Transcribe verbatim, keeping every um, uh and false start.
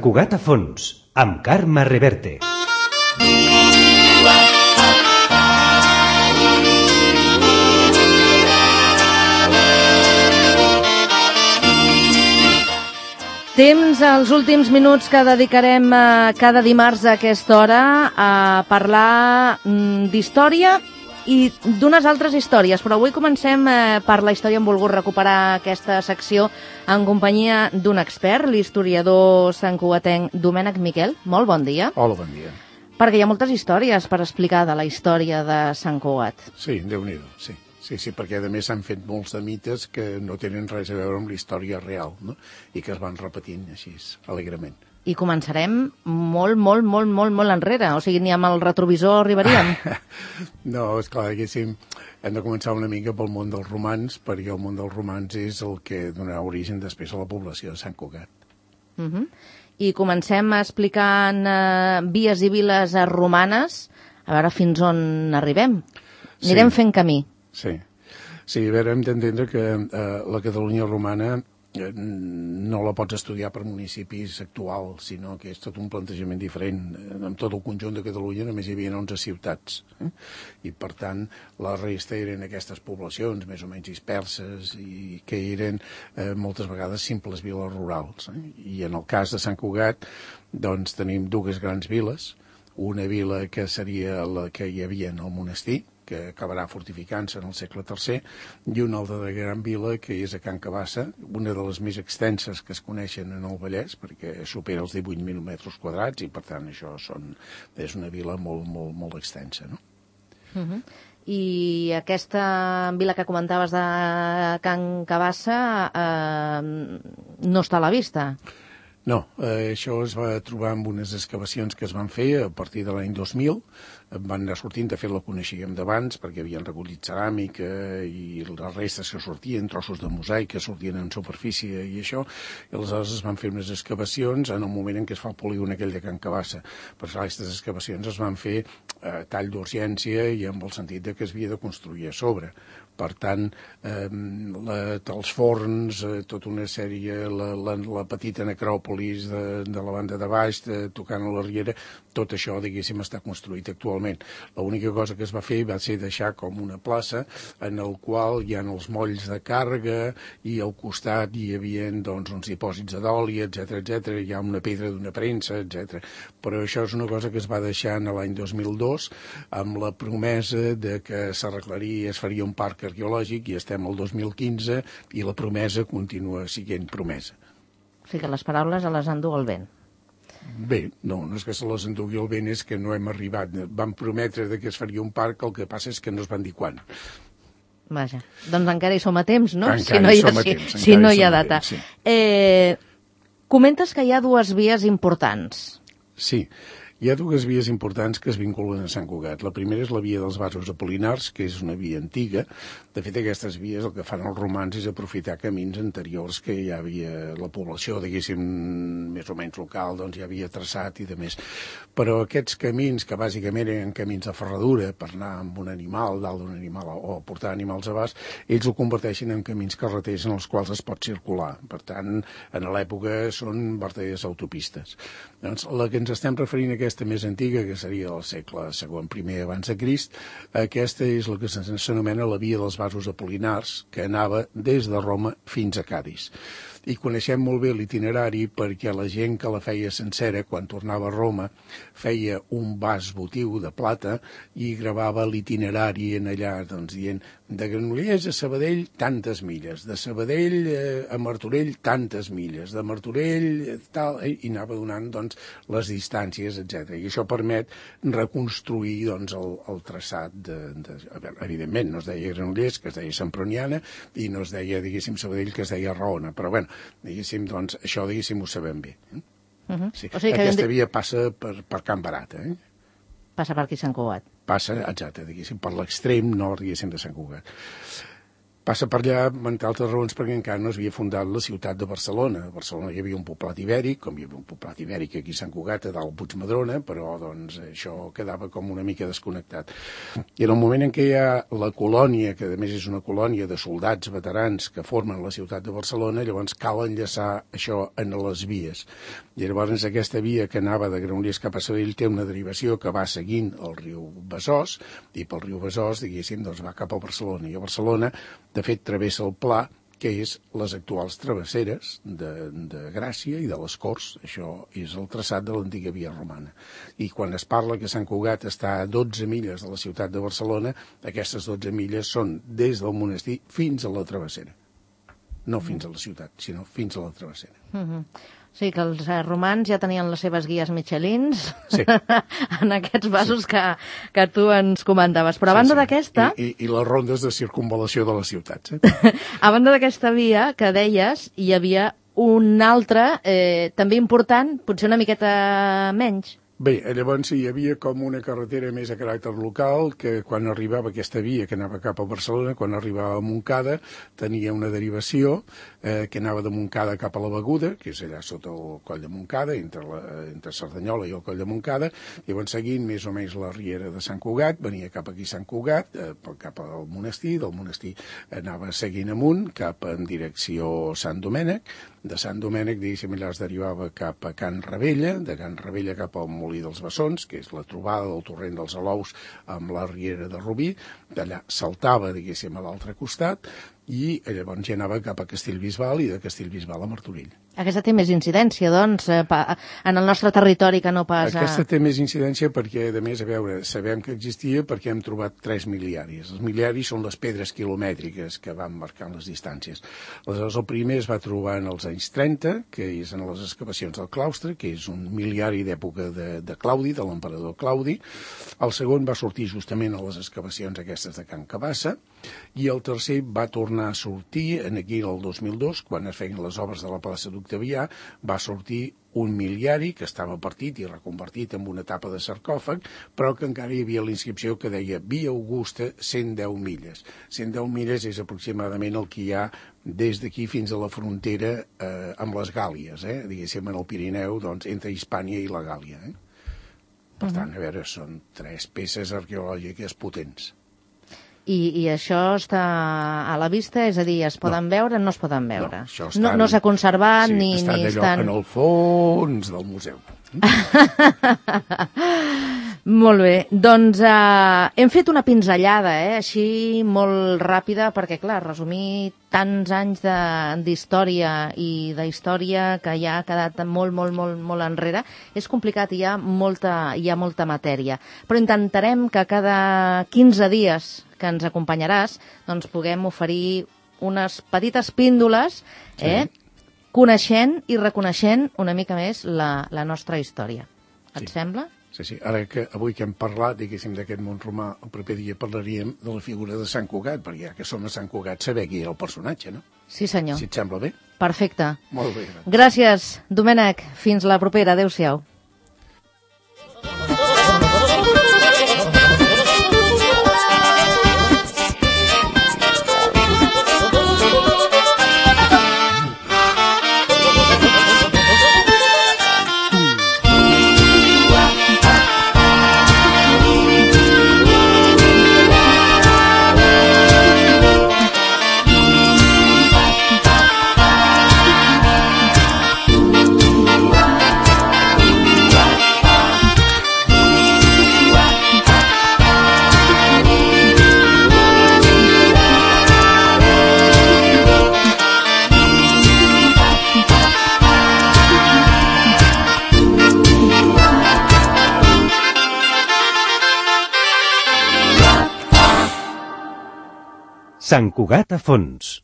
Cugat a fons, amb Carme Reverte. Temps als últims minuts que dedicarem eh, cada dimarts a aquesta hora a parlar mm, d'història i d'unes altres històries, però avui comencem eh, per la història. Hem volgut recuperar aquesta secció en companyia d'un expert, l'historiador santcugatenc Domènec Miquel. Molt bon dia. Hola, bon dia. Perquè hi ha moltes històries per explicar de la història de Sant Cugat. Sí, Déu-n'hi-do, sí. Sí, sí, perquè a més s'han fet molts de mites que no tenen res a veure amb la història real, no? I que es van repetint així, alegrement. I començarem molt, molt, molt, molt, molt enrere. O sigui, ni amb el retrovisor arribaríem. No, esclar, diguéssim, hem de començar una mica pel món dels romans, perquè el món dels romans és el que donarà origen després a la població de Sant Cugat. Uh -huh. I comencem explicant eh, vies i viles romanes, a veure fins on arribem. Anirem sí. fent camí. Sí. Sí, a veure, hem d'entendre que eh, la Catalunya romana eh, no la pots estudiar per municipis actuals, sinó que és tot un plantejament diferent. En tot el conjunt de Catalunya només hi havia onze ciutats. Eh? I, per tant, la resta eren aquestes poblacions més o menys disperses i que eren eh, moltes vegades simples viles rurals. Eh? I en el cas de Sant Cugat, doncs, tenim dues grans viles. Una vila que seria la que hi havia en el monestir, que acabarà fortificant-se en el segle tercer, i una altra de gran vila, que és a Can Cabassa, una de les més extenses que es coneixen en el Vallès, perquè supera els divuit mil metres quadrats, i per tant això són, és una vila molt, molt, molt extensa, no? Uh -huh. I aquesta vila que comentaves de Can Cabassa eh, no està a la vista? No, eh, això es va trobar amb unes excavacions que es van fer a partir de l'any dos mil. Van anar sortint, de fet la coneixíem d'abans, perquè havien recollit ceràmica i les restes que sortien, trossos de mosaic que sortien en superfície i això, i aleshores es van fer unes excavacions en el moment en què es fa el polígon aquell de Can Cabassa. Per això aquestes excavacions es van fer a tall d'urgència i amb el sentit de que es havia de construir a sobre. Per tant, eh, la, els forns, eh, tota una sèrie, la, la, la petita necròpolis de, de la banda de baix, de, tocant a la riera, tot això, diguéssim, està construït actualment. L'única cosa que es va fer va ser deixar com una plaça en el qual hi ha els molls de càrrega i al costat hi havia doncs, uns dipòsits d'oli, etcètera, etcètera. Hi ha una pedra d'una premsa, etcètera. Però això és una cosa que es va deixar en l'any dos mil dos amb la promesa de que s'arreglaria i es faria un parc arqueològic, i estem al dos mil quinze i la promesa continua sent promesa. O sigui que les paraules a les endú el vent. Bé, no, no és que se les endugui el vent, és que no hem arribat. Van prometre que es faria un parc, el que passa és que no es van dir quan. Vaja, doncs encara hi som a temps, no? Encara si no hi hi ha, som a si, temps. Si no hi ha data. Temps, sí. eh, comentes que hi ha dues vies importants. Sí. Hi ha dues vies importants que es vinculen a Sant Cugat. La primera és la via dels Vasos Apol·linars, que és una via antiga. De fet, aquestes vies el que fan els romans és aprofitar camins anteriors que ja havia la població, diguéssim, més o menys local, doncs ja havia traçat i de més. Però aquests camins, que bàsicament eren camins de ferradura per anar amb un animal, dalt d'un animal, o portar animals a bast, ells ho converteixen en camins carreters en els quals es pot circular. Per tant, en l'època són verdaderes autopistes. Doncs la que ens estem referint a aquesta més antiga, que seria del segle segon primer abans de Crist, aquesta és la que s'anomena la via dels Vasos Apol·linars, que anava des de Roma fins a Cadis. I coneixem molt bé l'itinerari perquè la gent que la feia sencera, quan tornava a Roma, feia un vas votiu de plata i gravava l'itinerari en allà, doncs dient de Granollers a Sabadell tantes milles, de Sabadell eh, a Martorell tantes milles, de Martorell eh, tal, eh, i anava donant doncs, les distàncies, etcètera. I això permet reconstruir doncs, el, el traçat de, de... A veure, evidentment, no es deia Granollers, que es deia Semproniana, i no es deia, diguéssim, Sabadell, que es deia Raona, però bueno, diguéssim, doncs, això, diguéssim, ho sabem bé. Eh? Uh -huh. Sí. O sigui que aquesta de... via passa per, per Can Barat, eh? Passa per aquí Sant Cugat. Passa, exacte, diguéssim, per l'extrem nord, diguéssim, de Sant Cugat. Passa per allà, entre altres raons, perquè encara no s'havia fundat la ciutat de Barcelona. A Barcelona hi havia un poblat ibèric, com hi havia un poblat ibèric aquí a Sant Cugat, a dalt Puigmadrona, però doncs això quedava com una mica desconnectat. I en el moment en què hi ha la colònia, que a més és una colònia de soldats veterans que formen la ciutat de Barcelona, llavors cal enllaçar això en les vies. I llavors aquesta via que anava de Granollers cap a Sabadell té una derivació que va seguint el riu Besòs, i pel riu Besòs, diguéssim, doncs va cap a Barcelona. I a Barcelona, de fet, travessa el Pla, que és les actuals travesseres de, de Gràcia i de les Corts. Això és el traçat de l'antiga via romana. I quan es parla que Sant Cugat està a dotze milles de la ciutat de Barcelona, aquestes dotze milles són des del monestir fins a la travessera. No fins a la ciutat, sinó fins a la travessera. Mm-hmm. O sigui que els eh, romans ja tenien les seves guies Michelins sí. en aquests vasos sí. que, que tu ens comentaves. Però a banda sí, sí. d'aquesta... I, i, I les rondes de circunvalació de les ciutats. Eh? A banda d'aquesta via que deies, hi havia una altra, eh, també important, potser una miqueta menys. Bé, llavors hi havia com una carretera més a caràcter local que quan arribava aquesta via que anava cap a Barcelona, quan arribava a Montcada, tenia una derivació eh, que anava de Montcada cap a la Beguda, que és allà sota el coll de Montcada, entre, la, entre Cerdanyola i el coll de Montcada, i llavors seguint més o menys la riera de Sant Cugat, venia cap aquí a Sant Cugat, eh, cap al monestir, del monestir anava seguint amunt, cap en direcció Sant Domènec, de Sant Domènec, diguéssim, allà es derivava cap a Can Ravella, de Can Ravella cap al Molí dels Bessons, que és la trobada del torrent dels Alous amb la riera de Rubí, d'allà saltava, diguéssim, a l'altre costat, i llavors ja anava cap a Castellbisbal i de Castellbisbal a Martorell. Aquesta té més incidència, doncs, en el nostre territori que no pas... A... Aquesta té més incidència perquè, a més, a veure, sabem que existia perquè hem trobat tres miliaris. Els miliaris són les pedres quilomètriques que van marcant les distàncies. Aleshores, el primer es va trobar en els anys trenta, que és en les excavacions del claustre, que és un miliari d'època de, de Claudi, de l'emperador Claudi. El segon va sortir justament a les excavacions aquestes de Can Cabassa, i el tercer va tornar a sortir en aquí el dos mil dos, quan es feien les obres de la plaça d'Octavià, va sortir un miliari que estava partit i reconvertit en una tapa de sarcòfag, però que encara hi havia la inscripció que deia Via Augusta, cent deu milles. cent deu milles és aproximadament el que hi ha des d'aquí fins a la frontera eh, amb les Gàlies, eh? diguéssim, en el Pirineu, doncs, entre Hispània i la Gàlia. Eh? Per tant, a veure, són tres peces arqueològiques potents. I, I això està a la vista? És a dir, es poden no. veure o no es poden veure? No, això estan, no, no s'ha conservat sí, ni, estan ni allò estan... en el fons del museu. Molt bé, doncs uh, hem fet una pinzellada, eh? Així molt ràpida, perquè clar, resumir tants anys d'història i d'història que ja ha quedat molt, molt, molt, molt enrere, és complicat, hi ha molta, hi ha molta matèria. Però intentarem que cada quinze dies que ens acompanyaràs, doncs puguem oferir unes petites píndoles, eh? Sí. Coneixent i reconeixent una mica més la, la nostra història. Et sí. sembla? Sí, sí. Ara que avui que hem parlat, diguéssim, d'aquest món romà, el proper dia parlaríem de la figura de Sant Cugat, perquè ja que som a Sant Cugat, saber qui era el personatge, no? Sí, senyor. Si et sembla bé. Perfecte. Molt bé. Gràcies, gràcies Domènec. Fins la propera. Adéu-siau. Sant Cugat a fons.